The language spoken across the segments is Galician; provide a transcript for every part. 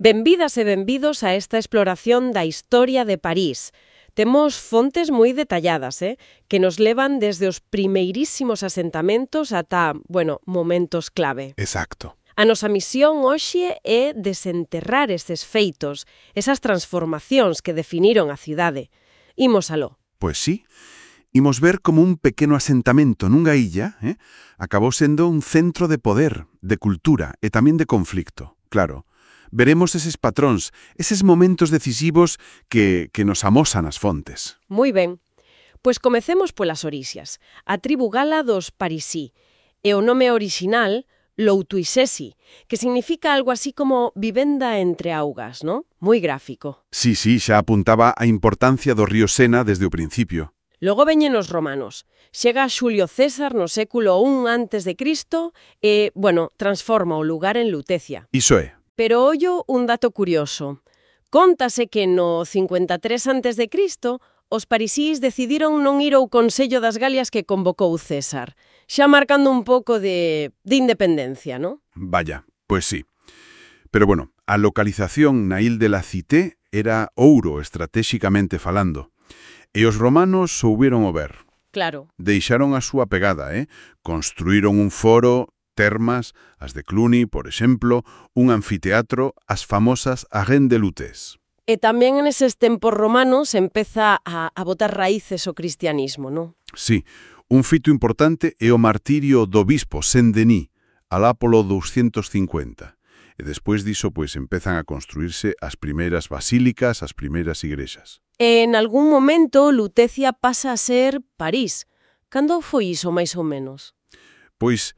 Benvidas e benvidos a esta exploración da historia de París. Temos fontes moi detalladas, que nos levan desde os primeirísimos asentamentos ata, momentos clave. Exacto. A nosa misión hoxe é desenterrar estes feitos, esas transformacións que definiron a cidade. Imos aló. Pois sí. Imos ver como un pequeno asentamento nunha illa acabou sendo un centro de poder, de cultura e tamén de conflicto. Claro, veremos eses patróns, eses momentos decisivos que nos amosan as fontes. Moi ben. Pois comecemos polas orixas. A tribu gala dos Parisí. E o nome orixinal, Loutuisesi, que significa algo así como vivenda entre augas, ¿no? Moi gráfico. Sí, xa apuntaba a importancia do río Sena desde o principio. Logo veñen os romanos. Chega Xulio César no século I a.C. e, transforma o lugar en Lutecia. Iso é. Pero ollo un dato curioso. Cóntase que no 53 a.C. os parisís decidiron non ir ao Consello das Galias que convocou César, xa marcando un pouco de independencia, ¿no? Vaya, pois sí. Pero a localización na Il de la Cité era ouro estratéxicamente falando. E os romanos souberon o ver. Claro. Deixaron a súa pegada, Construíron un foro, termas, as de Cluny, por exemplo, un anfiteatro, as famosas Arènes de Lutèce. E tamén en eses tempos romanos empeza a botar raíces o cristianismo, ¿no? Sí, un fito importante é o martirio do bispo Saint-Denis, alá polo 250. E despois diso, empezan a construirse as primeiras basílicas, as primeiras igrexas. En algún momento, Lutecia pasa a ser París. Cando foi iso, máis ou menos? Pois,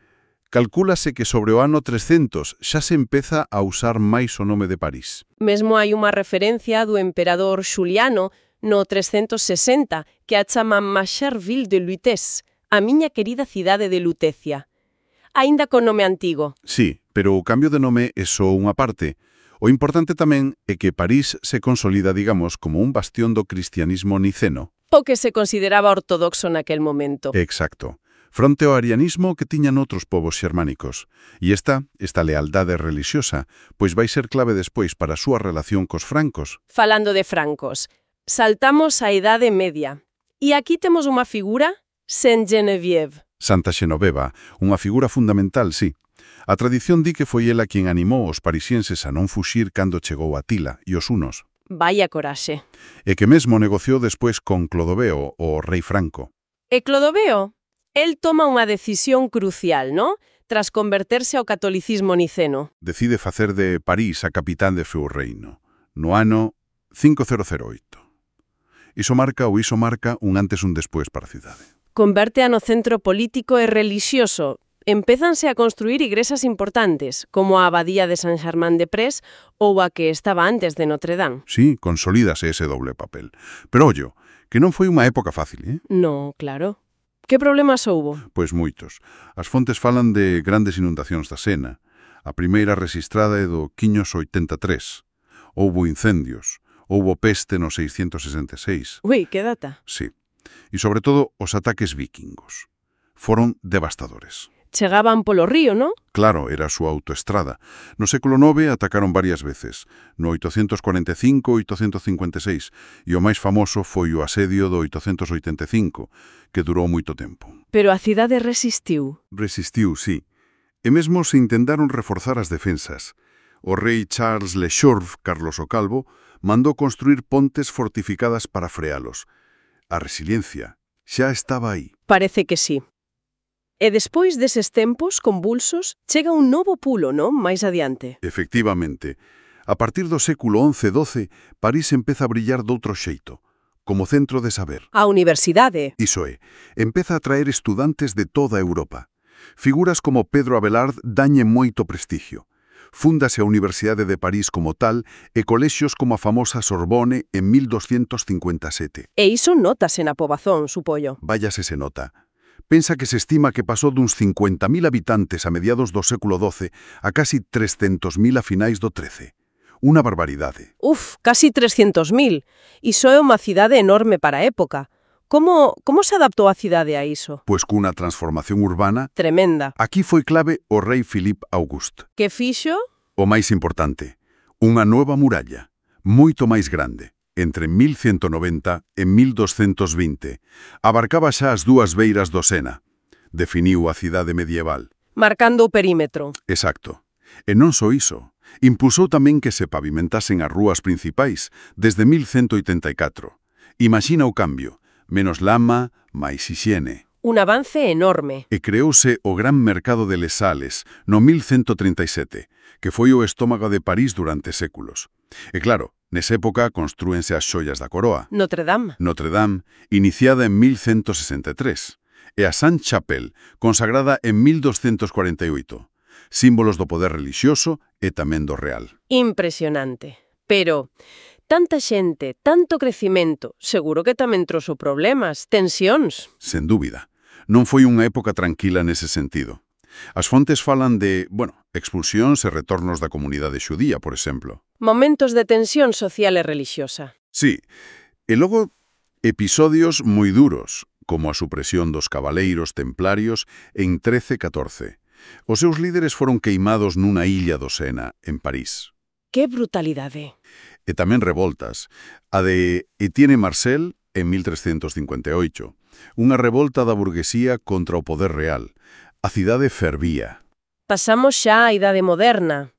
calcúlase que sobre o ano 300 xa se empeza a usar máis o nome de París. Mesmo hai unha referencia do emperador Xuliano no 360 que a chama Ma chère ville de Lutèce, a miña querida cidade de Lutecia. Aínda con nome antigo. Sí, pero o cambio de nome é só unha parte. O importante tamén é que París se consolida, digamos, como un bastión do cristianismo niceno. O que se consideraba ortodoxo naquel momento. Exacto. Fronte ao arianismo que tiñan outros povos xermánicos. E esta lealdade religiosa, pois vai ser clave despois para a súa relación cos francos. Falando de francos, saltamos á Idade Media. E aquí temos unha figura, Saint Geneviève. Santa Xenoveva, unha figura fundamental, sí. A tradición di que foi ela quen animou os parisienses a non fuxir cando chegou Atila e os hunos. Vaya coraxe. E que mesmo negociou despois con Clodoveo, o rei franco. E Clodoveo? El toma unha decisión crucial, ¿no? Tras converterse ao catolicismo niceno. Decide facer de París a capital de seu reino, no ano 5008. Iso marca un antes e un despois para a cidade. Converte no centro político e relixioso. Empézanse a construir igrexas importantes, como a Abadía de Saint-Germain-des-Prés ou a que estaba antes de Notre Dame. Sí, consolídase ese doble papel. Pero ollo, que non foi unha época fácil, No, claro. Que problemas houbo? Pois moitos. As fontes falan de grandes inundacións da Sena. A primeira registrada é do 583. Houbo incendios. Houbo peste no 666. Ui, que data? Sí. E sobre todo os ataques vikingos. Foron devastadores. Chegaban polo río, ¿no? Claro, era a súa autoestrada. No século IX atacaron varias veces, no 845 e 856, e o máis famoso foi o asedio do 885, que durou moito tempo. Pero a cidade resistiu. Resistiu, sí. E mesmo se intentaron reforzar as defensas. O rei Charles Le Chorv, Carlos o Calvo, mandou construir pontes fortificadas para frealos. A resiliencia xa estaba aí. Parece que sí. E despois deses tempos convulsos, chega un novo pulo, non? Máis adiante. Efectivamente. A partir do século XI-XII, París empeza a brillar doutro xeito, como centro de saber. A universidade. Iso é, empeza a traer estudantes de toda Europa. Figuras como Pedro Abelard dañen moito prestigio. Fúndase a Universidade de París como tal e colexios como a famosa Sorbonne en 1257. E iso notase na pobazón, supollo. Váyase se nota. Pensa que se estima que pasou duns 50.000 habitantes a mediados do século XII a casi 300.000 a finais do XIII. Unha barbaridade. Casi 300.000. Iso é unha cidade enorme para a época. Como se adaptou a cidade a iso? Pois cunha transformación urbana Tremenda. Aquí foi clave o rei Philippe Auguste. Que fixo? O máis importante, Unha nova muralla, moito máis grande, entre 1190 e 1220. Abarcaba xa as dúas beiras do Sena. Definiu a cidade medieval. Marcando o perímetro. Exacto. E non só iso. Impulsou tamén que se pavimentasen as rúas principais desde 1184. Imagina o cambio. Menos lama, máis hixiene. Un avance enorme. E creouse o Gran Mercado de Les Sales no 1137, que foi o estómago de París durante séculos. E claro, nesa época construense as xoias da coroa. Notre Dame. Notre Dame, iniciada en 1163, e a Sainte-Chapelle, consagrada en 1248, símbolos do poder relixioso e tamén do real. Impresionante. Pero tanta xente, tanto crecimento, seguro que tamén trouxo problemas, tensións. Sen dúbida. Non foi unha época tranquila nese sentido. As fontes falan de, expulsións e retornos da comunidade xudía, por exemplo. Momentos de tensión social e relixiosa. Sí, e logo episodios moi duros, como a supresión dos cabaleiros templarios en 1314. Os seus líderes foron queimados nunha illa do Sena, en París. Que brutalidade. E tamén revoltas. A de Etienne Marcel, en 1358. Unha revolta da burguesía contra o poder real. A cidade fervía. Pasamos xa á idade moderna.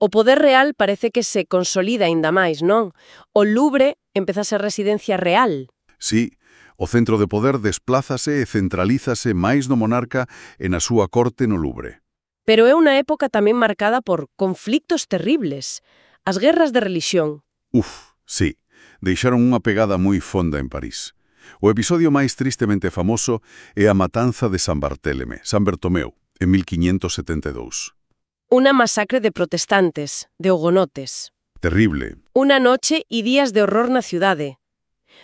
O poder real parece que se consolida aínda máis, non? O Louvre empeza a ser residencia real. Sí, o centro de poder desplázase e centralízase máis no monarca e na súa corte no Louvre. Pero é unha época tamén marcada por conflictos terribles. As guerras de relixión. Sí, deixaron unha pegada moi fonda en París. O episodio máis tristemente famoso é a matanza de San Bartomeu, en 1572. Una masacre de protestantes, de hugonotes. Terrible. Una noche e días de horror na cidade.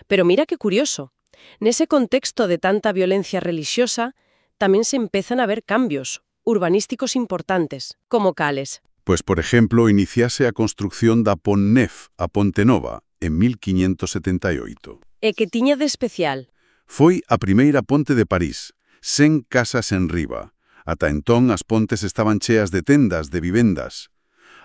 Pero mira que curioso. Nese contexto de tanta violencia relixiosa, tamén se empezan a ver cambios urbanísticos importantes, como cales. Pues, por exemplo, iniciase a construcción da Pont Neuf, a Ponte Nova, en 1578. E que tiña de especial? Foi a primeira ponte de París, 100 casas en riba. Ata entón as pontes estaban cheas de tendas, de vivendas.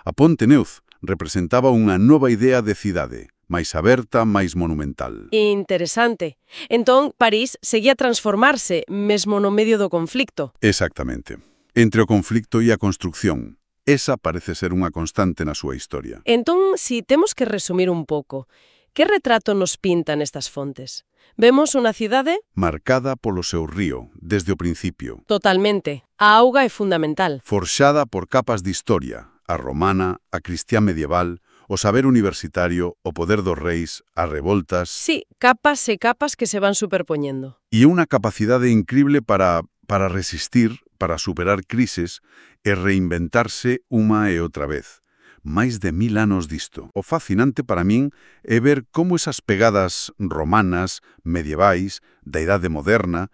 A Ponte Neuf representaba unha nova idea de cidade, máis aberta, máis monumental. Interesante. Entón, París seguía a transformarse, mesmo no medio do conflicto. Exactamente. Entre o conflicto e a construcción. Esa parece ser unha constante na súa historia. Entón, si temos que resumir un pouco, que retrato nos pintan estas fontes? Vemos unha cidade marcada polo seu río, desde o principio. Totalmente. A auga é fundamental. Forxada por capas de historia, a romana, a cristiá medieval, o saber universitario, o poder dos reis, as revoltas. Sí, capas e capas que se van superpoñendo. E unha capacidade incrible para resistir, para superar crises e reinventarse unha e outra vez. Máis de 1000 anos disto. O fascinante para min é ver como esas pegadas romanas, medievais, da idade moderna,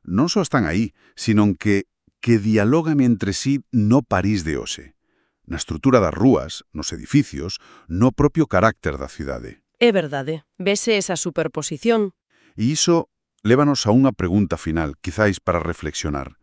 non só están aí, sino que dialogan entre sí no París de hoxe. Na estrutura das rúas, nos edificios, no propio carácter da cidade. É verdade. Vese esa superposición. E iso lévanos a unha pregunta final, quizáis para reflexionar.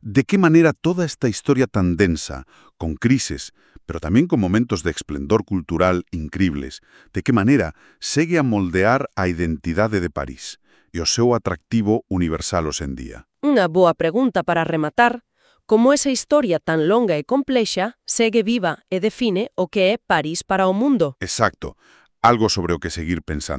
De que maneira toda esta historia tan densa, con crises, pero tamén con momentos de esplendor cultural incribles, de que maneira segue a moldear a identidade de París e o seu atractivo universal hoxendía? Unha boa pregunta para rematar. Como esa historia tan longa e complexa segue viva e define o que é París para o mundo? Exacto. Algo sobre o que seguir pensando.